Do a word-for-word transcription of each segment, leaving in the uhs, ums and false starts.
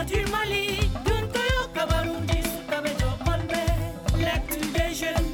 Du Mali, ɗum ko yo kabaruuji sukaaɓe jokkon ɓe, l'actu des jeunes.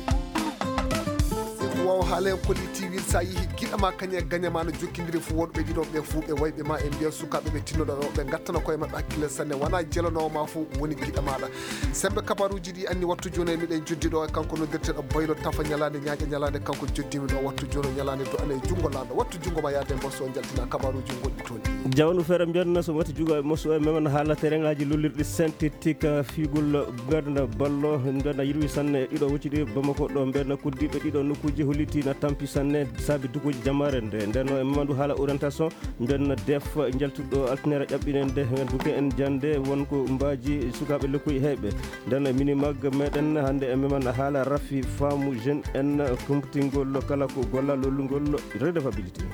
Ko wawa haala en kolli tiwil sa yeehi giɗa ma kañe gaña ma no jokkidiri fof wonɓe ɗiɗo ɓe fof ɓe wayɓe ma e mbiya sukaaɓe ɓe tinnoɗo ɗo ɓe gattana koye maɓɓe hakkille sanne wona jelanowo ma fof woni giɗa maɗa. Sembe kabaruuji ɗi anni wattu joni e miɗen joddi ɗo e kanko noddirteɗo Baylo Tafa ñalande ñaaƴa ñalande kanko joddimi ɗo wattu joni o ñalande do ana e junngo laaɗo wattu junngo ma yaade mboso jaltina kabaruuji gonɗi toon ɗi. Jawnu feere mbiyanno so watti juuga e mosu e memen haala terrain ngaji lollirɗi synthétique figol mbeɗna ballo mbeɗna yirwi sanne ɗiɗo wocciɗi Bamako ɗo mbeɗna koddiɓe ɗiɗo nokkuji hollitina tampi sanne saabi dukuji jamare nde ndenno e mamandu haala orientation mbeɗna def jaltuɗo altinere ƴaɓɓinende duke en jande wonko mbaji sukaɓe lekkuy heyɓe ndenno e minimag meɗen hande e meman haala rafi faamu jeune en kumtingol kala ko golla lollugol redevabilité.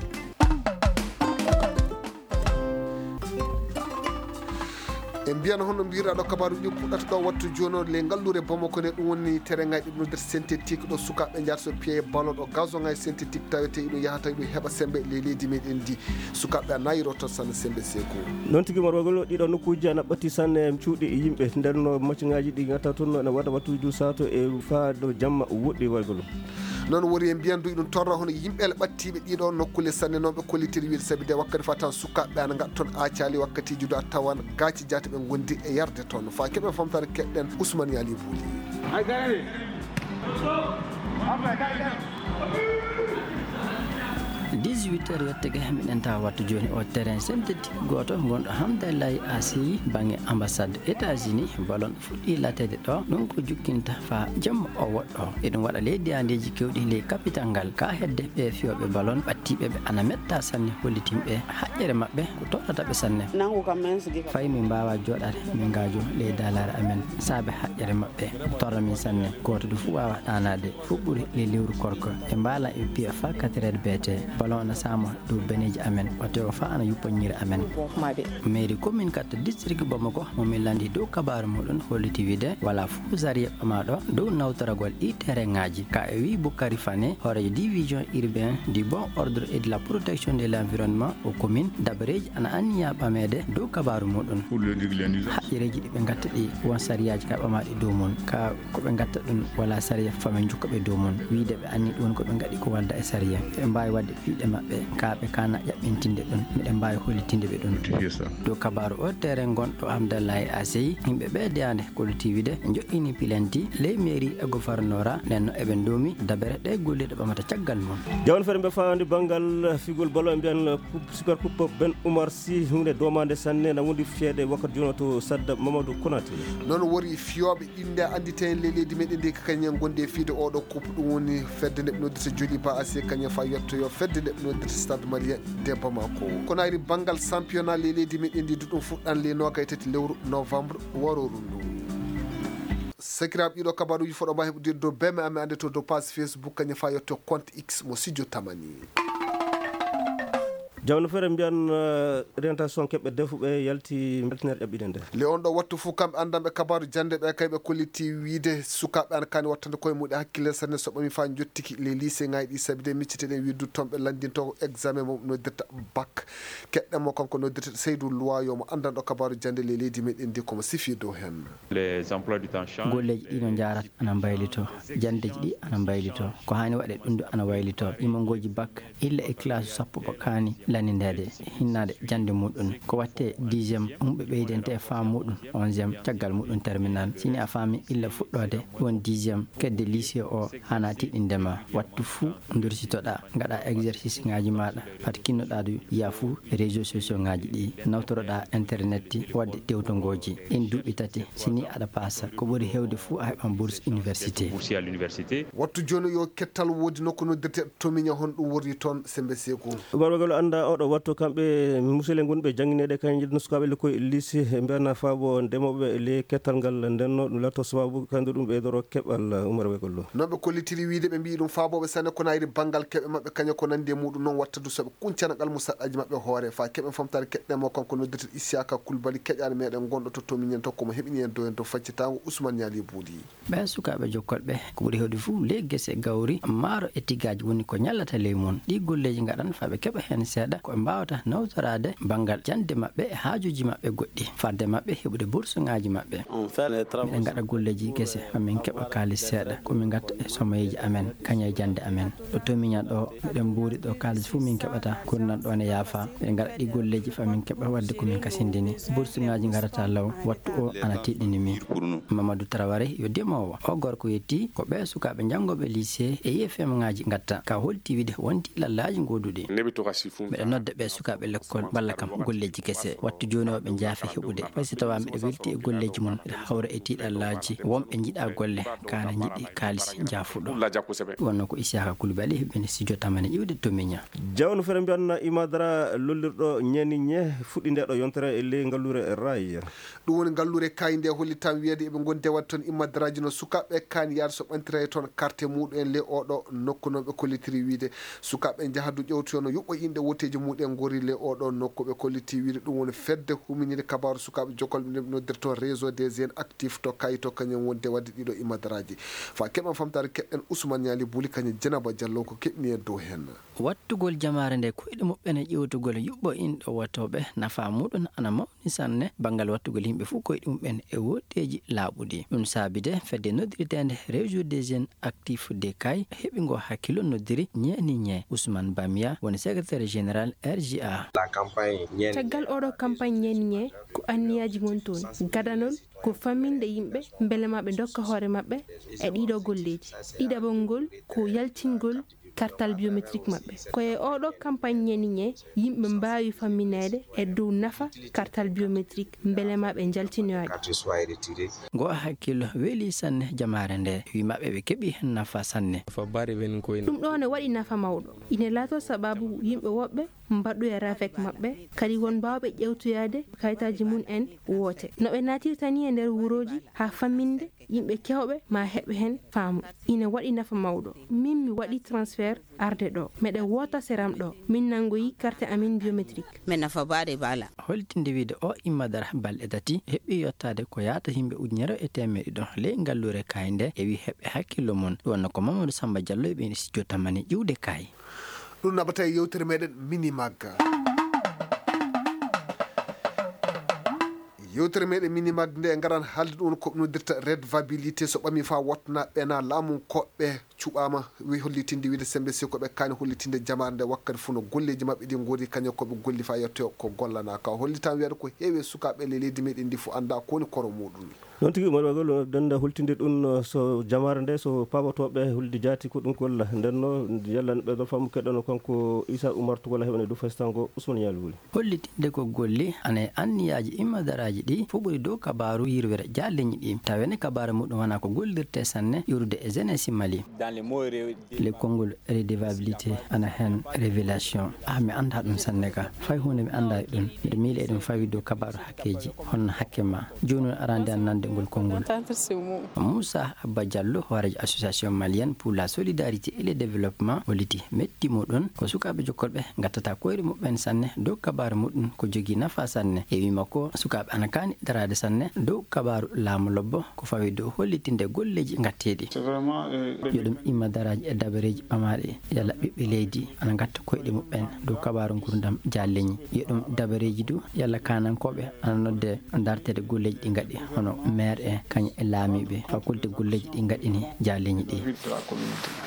En mbiyano hono mbiraɗo kabaru ɗi puɗɗata ɗo wattu jono le ngallure Bamako ne ɗum woni terrain ngaji ɗum nder synthétique ɗo sukaɓe jata so piye ballon ɗo gazon ngaji synthétique tawete iɗum yahata iɗum heɓa sembe le leydi meɗen ndi sukaɓe a nayi roto tan sanne sembe seko. Noon tigi morwagol ɗiɗo nokkuji ana ɓatti sanne cuuɗi yimɓe nder no maccingaji ɗi gatta toon ene waɗa wattuji du sato e faado jamma woɗɗi waygol. Noon wori e mbiyan duuɓi ɗum torra hono yimɓe ele ɓattiiɓe ɗiɗo nokkule sanne noon ɓe kollitiri wiide sabi de wakkati fatan sukaaɓe ana ngaɗa toon aacali wakkatiiji du a tawan gaaci jaate ɓe ngondi e yarde toon fa keɓen famtare keɗɗen Ousmane Yali Bouli. Dix-huit heures yottege miɗen tawa wattu jooni o terrain synthétique gooto gonɗo Hamdallahi Asi bange ambassade États-Unis ballon fuɗɗi lateede ɗo ɗum ko jukkinta fa jamma o woɗɗo eɗum waɗa leydi andeji kewɗi ley capital ngal ka hedde ɓe fiyoɓe ballon ɓattiɓe ɓe ana metta sanne hollitinɓe haƴƴere maɓɓe ko torrata ɓe sanne. Nangu kam men sigi kam. Fay min mbawa joɗade min ngajo ley dalare amen saabe haƴƴere maɓɓe torra min sanne goto du fu wawa ɗanade fu ɓuri ley lewru korko ɓe mbala e piya fa quatre heures beete ballon na sama dow beneji amen o tewo fa ana yuppa ñiiri amen. Mairie commune katta district Bamako mo min landi dow kabaru muɗum holliti wiide wala fof sariya ɓamaɗo dow nawtoragol ɗi terrain ngaji ka e wi Boukari Fane hoorejo division urbain du bon ordre et de la protection de l'environnement o commune dabareji ana anniya ɓamede dow kabaru muɗum. Haƴƴereji ɗi ɓe gatta ɗi won sariyaji ka ɓamaɗi dow mum ka ko ɓe gatta ɗum wala sariya famin jukka ɓe dow mum wiide ɓe anni ɗum ko ɓe gaɗi ko walda e sariya ɓe mbawi wadde piɗe maɓɓe ka ɓe kana ƴaɓɓintinde ɗum miɗen mbawi hollitinde ɓe ɗum. Dow kabaru o terrain gonɗo Hamdallahi Asey yimɓe ɓe deyande kollitiwide joɗɗini pilanti ley mairie e gouvernora nden no eɓe doomi dabere ɗe golliɗo ɓamata caggal mum. Jawon feere mbe fawande banngal figol balo e mbiyan super coupe ben Oumar Sy hunde domande sanne na wondi fiyede wakkati jono to sadda Mamadou Konaté. Noon wori fiyooɓe inde annditen le leydi meɗen ndi kañen gonde fiide oɗo coupe ɗum woni fedde nde ɓe noddirta joli ba asi kañen fa yettoyo fedde nde ɓe noddirta stade maria de bamako. Kono ari banngal championnat le leydi meɗen ndi duɗum fuɗɗan le nogay tati lewru novembre waroru ndu. Sakiraaɓe ɗiɗo kabaruuji foɗo ma heɓude dow beme amen annde to dow page Facebook kañum fa yetto compte x mo sijo tamani. Jawno feere mbiyan orientation keɓɓe defuɓe yalti yaltinere ƴaɓɓinede. Le on ɗo wattu fof kamɓe anndanɓe kabaru jannde ɓe kay ɓe kolliti wiide sukaaɓe an kani wattande koye muɗe hakkille sanne so ɓami fa jottiki les lycée ngaji ɗi sabi de micciteɗen wiide du toon ɓe lanndinto ko examen mo noddirta bac. Keɗɗen mo kanko noddirta Seydou Loiyo mo anndanɗo kabaru jannde le leydi meɗen ndi komo sifi dow hen. Golleeji ɗi no njaarata ana mbaylitoo, janndeeji ɗi ana mbaylitoo, ko haani waɗe ɗum du ana waylitoo, imongooji bac illa e classe sappo ko kaani lannindeede, hinnaade jannde muuɗum, ko waɗte dixième, ɗum ɓe ɓeydante e faamu muuɗum, onzième, caggal muuɗum terminal, sini a faami illa fuɗɗoode won dixième, kedde lycée o haana tiiɗinde ma, wattu fuu ndursitoɗaa, ngaɗaa exercice ŋaaji maaɗa, fat kinnoɗaa du yaa fuu réseaux sociaux ŋaaji ɗi, nawtoroɗaa internet waɗde tewtongooji, ɗin duuɓi tati, si ni aɗa paasa, ko ɓuri heewde fuu a heɓan bourse université. Wattu jooni yo kettal woodi nokku noddirte Tomiña, hon ɗum worri toon sembe seeku. Barwagalo annda oɗo wattu kamɓe musele ngonɓe janngineede kañum njiɗno sukaaɓe lekkoy lycée, ɓe mbiyana faabo ndemooɓe le kettal ngal ndenno ɗum latto sababu kandu ɗum ɓeydoro keɓal Umar Wegollo. Noon ɓe kollitiri wiide ɓe mbiyi ɗum faabooɓe sanne ko nayri banngal keɓe maɓɓe kaña ko nandi e muɗum noon watta du soɓe kuncana ngal musaɗɗaji maɓɓe hoore fa keɓen famtare keɗɗen mo kanko noddirte Isiyaka Kulbali keƴaani meɗen gonɗo to Tomiñen to komo heɓini en dow en to faccitango Ousmane Ñaali Buuli. Ɓee sukaaɓe jokkolɓe ko ɓuri heewde fof ley gese gawri maaro e tigaaji woni ko ñallata ley mum. Ɗii golleeji ngaɗan faa ɓe keɓa heen seeɗa ko ɓe mbaawata nawtoraade banngal jannde maɓɓe e haajuuji maɓɓe goɗɗi, fadde maɓɓe heɓude bursuŋaaji maɓɓe. Miɗen ngaɗa golleeji gese, haa min keɓa kaalis seeɗa, ko min ngatta e somoyeeji amen, kañum e jannde amen. Ɗo to miña ɗo, miɗen mbuuri ɗo, kaalis fof min keɓata, gurdam ɗo ne yaafa. Miɗen ngaɗa ɗi golleeji faa min keɓa waɗde ko min kasindini. Bursuŋaaji ngarata law, wattu o ana tiiɗini min. Mamadou Traoré yo demoowo. O gorko yetti ko ɓee sukaaɓe janngooɓe lycée e I F M ŋaaji ngatta. Ka holti wiide wonti lallaaji gooduɗi. Miɗa nodda ɓee sukaaɓe lekkol mballa kam golleeji gese. Wattu jooni o ɓe njaafi heɓude. Fay so tawaa miɗa welti e golleeji mum, miɗa hawra e tiiɗallaaji. Wonɓe njiɗa golle, kaana njiɗi kaalis njaafuɗo. Wonno ko Isiyaka Koulibaly heɓɓini studio tamani iwde to miña. Jawno fere mbiyanna Imadara lollirɗo ñeeni ñe fuɗɗi nde ɗo yontere e ley ngalluure Rail. Ɗum woni ngalluure kaayi nde hollitam wiyeede eɓe ngondi e waɗde toon immadaraaji no sukaaɓe kaani yaade so ɓantira e toon carte muɗum en ley oɗo nokku noon ɓe kollitiri wiide sukaaɓe njaha du ƴewtoyo no yuɓɓo inɗe woteeji muɗum en ngori ley oɗo nokku ɓe kolliti wiide ɗum woni fedde huminire kabaaru sukaaɓe jokkol ɓe noddirta toon réseau des jeunes actifs to kaayi to kañum wonde waɗde ɗiɗo immadaraaji. Fa keɓen famtaare keɗɗen Ousmane Ñaali Buli kañum Jenaba Jallo ko keɓni en dow heen. Wattugol jamaare nde koyɗe muɓɓen e ƴewtugol yuɓɓo inɗo wotooɓe nafa muɗum ana mawni sanne. Banngal wattugol yimɓe fof koyɗe muɓɓen e woteeji laaɓuɗi. Ɗum saabi de fedde noddirteende Réseau des Jeunes Actifs de Kay heɓi ngo hakkillo noddiri Ñeeni Ñe. Ousmane Bamiya woni secrétaire général R G A. Caggal oɗo campagne Ñeeni Ñe ko anniyaaji ngon toon. Gadanol ko famminde yimɓe mbele ma ɓe ndokka hoore maɓɓe e ɗiɗo golleeji. Ɗiɗaɓol ngol ko yaltingol kartal biométrique maɓɓe. Ko e oɗo campagne Ñeeni Ñe yimɓe mbaawi fammineede e dow nafa kartal biométrique mbele ma ɓe njaltinoyaade. Ngo hakkillo weli sanne jamaare nde, wi maɓɓe ɓe keɓi heen nafa sanne. Ɗum ɗo ne waɗi nafa mawɗo. Ine laato sababu yimɓe woɓɓe mbaɗɗoya rafek maɓɓe, kadi won mbaawɓe ƴewtoyaade kayitaaji mum en woote. No ɓe naatirta ni e nder wurooji haa famminde yimɓe kewɓe ma heɓ heen faamu. Ine waɗi nafa mawɗo. Min mi waɗi transfert arde ɗo. Meɗe woota seram ɗo. Min nanngoyi carte amin biométrique. Min nafa baade bala. Holtinde wiide o immadara balɗe tati heɓi yottaade ko yaata yimɓe ujunere e teemeɗe ɗiɗo ley ngalluure kaayi nde e wi heɓɓe hakkillo mum. Ɗum wonno ko Mamadou Samba Diallo e ɓen studio tamani ƴiwde kaayi. Ɗum naɓata e yewtere meɗen Minimag. Yewtere meɗen Minimag nde ngaran haalde ɗum ko noddirta redevabilité so ɓami fa wottana ɓena laamu koɓɓe cuɓama wi hollitinde wiide sembe si ko ɓe kaani hollitinde jamaare nde wakkati fof no golleji maɓɓe ɗi ngori kañum ko ɓe golli fa yetto ko gollana ka hollitan wiyata ko heewi e sukaɓe le leydi meɗen ndi fof anda ko woni koro muɗum. Noon tigi, Umar Bagol, dennda hultinde ɗum, so jamaare nde, so paabotooɓe hulde jaati, ko ɗum golla. Nden no, yalla no ɓeydo faamu keɗɗono kanko Issa Oumar Togola heɓane du faysango Ousmane Yali Wuli. Hollitinde ko golli, ana e anniyaaji immadaraaji ɗi, fof ɓuri dow kabaaru yirwere jaalleñi ɗi. Tawene kabaaru muɗum wona ko gollirte sanne, iwrude e jeunesse Mali. Le konngol redevabilité ana heen, révélation. Ah, mi anndaa ɗum sanne ka. Fay huunde mi anndaa e ɗum. Miɗo miila eɗum fawi dow kabaaru hakkeeji. Honno hakke ma? Jooni on arande an nande ngol konngol. Moussa Abba Diallo, hooreejo Association Malienne pour la Solidarité et le Développement, holliti metti muɗum ko sukaaɓe jokkolɓe ngattata koyre muɓɓen sanne dow kabaaru muɗum ko jogii nafa sanne. E wii makko, sukaaɓe ana kaani daraade sanne dow kabaaru laamu lobbo. Ko fawi dow hollitinde golleeji ngatteeɗi. Yo ɗum imma daraaji e dabareeji ɓamaaɗi, yalla ɓiɓɓe leydi ana ngatta koyɗe muɓɓen dow kabaaru ngurdam jaalleñi. Yo ɗum dabareeji du, yalla kaanankooɓe ana nodde darteede golleeji ɗi ngaɗi, hono maire en, kañum e laamiiɓe, fakulte golleeji ɗi ngaɗini jaalleñi ɗi.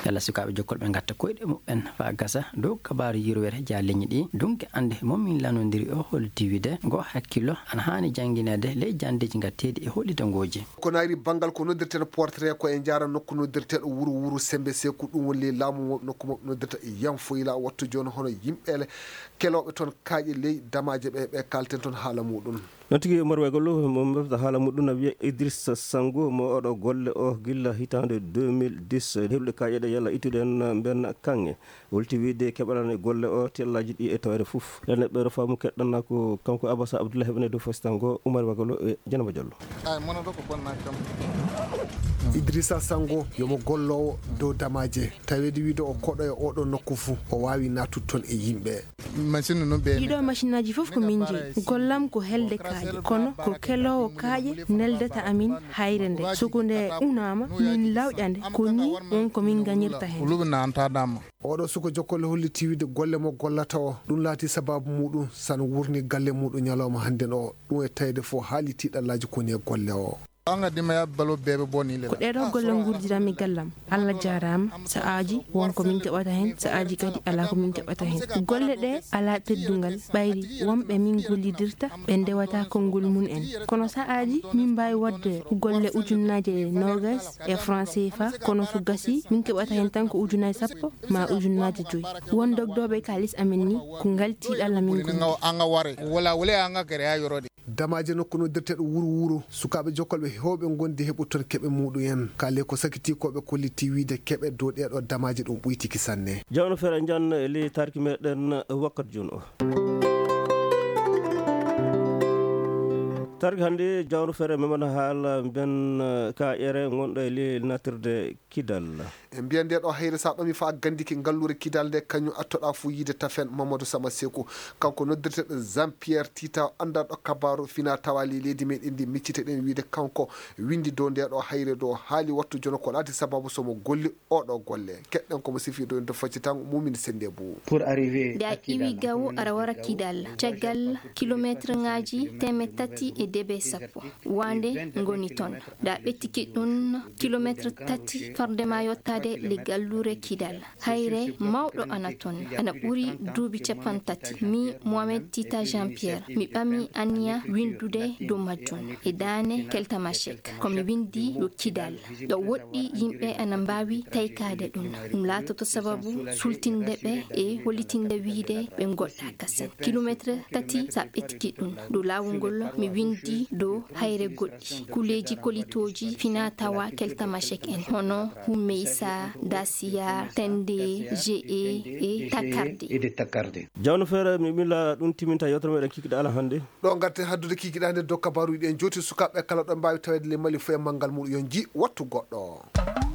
Yalla sukaaɓe jokkolɓe ngatta koyɗe muɓɓen faa gasa dow kabaaru yirwere jaalleñi ɗi. Dunke annde mo min lanondiri o holliti wiide ngo hakkillo ana haani janngineede ley janndeeji ngatteeɗi e hollitangooji. Ko naayri banngal ko noddirten portrait ko e njaara nokku noddirteeɗo wuru wuru sembe seeku ɗum woni ley laamu mo nokku mo noddirta Yanfoyla wattu jooni hono yimɓe kelooɓe toon kaaƴe ley damaaje ɓe ɓe kaalten toon haala muɗum. Noon tigi Umar Waygollo mo mbefta haala muɗum na wiya Idrissa Sango mo oɗo golle o gilla hitaande deux mille dix heɓde kaaƴe ɗe yalla ittude en mbenna kaŋŋe. Holti wiide keɓalani golle o tellaaji ɗi e tawre fof. Ene ɓeero faamu keɗɗanna ko kanko Abasa Abdoulahi woni dow fasitango Umar Wagalo e Janaba Diallo. Ay, mono ɗo ko bonna kam. Idrissa Sango yomo golloowo dow damaaje, taweede wiide o koɗo e oɗo nokku fuu, o waawi naatude toon e yimɓe. Machine no ɓe ɗiɗo machinaaji fof ko min njeyi. Gollam ko helde kaaƴe, kono ko keloowo kaaƴe neldata amin hayre nde. Soko nde unaama, min lawƴa nde, ko nii won ko min ngañirta heen. Luɓe naantadama. Oɗo suko jokkole hollitii wiide golle mo gollata o, ɗum laati sababu muɗum san wurni galle muɗum ñalawma hannden o. Ɗum e tawde fof haali tiiɗallaaji koni e golle o. Anga dima ya balo bebe boni le. Ko ɗeɗo golle ngurdiranmi gallam. Allah jaaraama. Sa'aaji won ko min keɓata heen, sa'aaji kadi alaa ko min keɓata heen. Golle ɗe alaa teddungal, ɓayri wonɓe min gollidirta ɓe ndewata konngol mum en. Kono sa'aaji min mbaawi waɗde golle ujunnaaje noogas e franc C F A, kono so gasii min keɓata heen tan ko ujunnaaje sappo ma ujunnaaje joyi. Won dogdooɓe kaalis amen ni ko ngal tiiɗalla min ngoni. Anga ware wala wala anga gere ha yorode. Damaaje nokku noddirteeɗo Wuro Wuro, sukaaɓe jokkolɓe heewɓe ngondi heɓu toon keɓe muɗum en. Kaale ko sakitii ko ɓe kollitii wiide keɓe dow ɗeeɗo damaaje ɗum ɓuytiki sanne. Jawno feere njan e ley tarki meɗen wakkat jun o. Tarki hannde jawno feere memana haala mben ka ƴere ngonɗo e ley natirde Kidal. E mbiya nde ɗo hayre sa ɗomi fa gandiki ngalluure Kidal nde kañum attoɗa fuu yiide tafen Mamadou Sama Seku. Kanko noddirteɗen Jean Pierre Tita, anndanɗo kabaru fina tawa ley leydi meɗen ndi, micciteɗen wiide kanko windi dow nde ɗo hayre dow haali wattu jono ko laati sababu somo golli oɗo golle. Keɗɗen komo sifi dow en to faccitango mumin sende bu. Nde a iwi gawo aɗa wara Kidal, caggal kilometre ngaji teemeɗɗe tati e debe sappo wande ngoni toon. Nde a ɓettiki ɗum kilometre tati fardema yottade le galluure Kidal. Hayre mawɗo ana toon, ana ɓuri duuɓi capanɗe tati. Mi Mohamed Tita Jean Pierre, mi ɓami anniya windude dow majjum e daane Keltamachek. Ko mi windi ɗo Kidal. Ɗo woɗɗi yimɓe ana mbaawi taykaade ɗum. Ɗum laatoto sababu sultinde ɓe e hollitinde wiide ɓe ngoɗɗa kasen. Kilometre tati sa ɓettiki ɗum. Ɗo laawol ngol mi windi ɗo hayre goɗɗi. Kuleeji kolitooji fina tawa Keltamachek en. Hono Hummeysa, Dasiya, Tende, G E e Takarde. Jawno feere mi mila ɗum timinta yewtere meɗen kikiɗe ala hannde. Ɗo ngarten haddude kikiɗe hannde dow kabaruji ɗen jooti sukaaɓe kala ɗo mbaawi taweede le Mali fof e manngal muɗum yo nji wattu goɗɗo.